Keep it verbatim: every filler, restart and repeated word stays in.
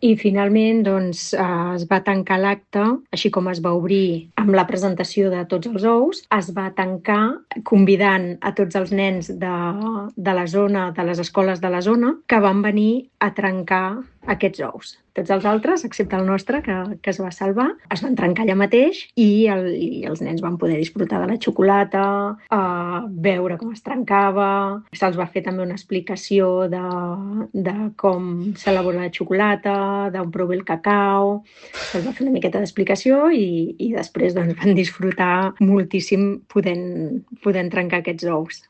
I finalment doncs, eh, es va tancar l'acte, així com es va obrir amb la presentació de tots els ous, es va tancar convidant a tots els nens de, de la zona, de les escoles de la zona, que van venir a trencar aquests ous. Tots els altres, excepte el nostre, que, que es va salvar, es van trencar allà mateix i, el, i els nens van poder disfrutar de la xocolata, eh, veure com es trencava, se'ls va fer també una explicació de, de com s'elabora la xocolata, d'on prové el cacau, se'ls va fer una miqueta d'explicació i, i després doncs, van disfrutar moltíssim podent, podent trencar aquests ous.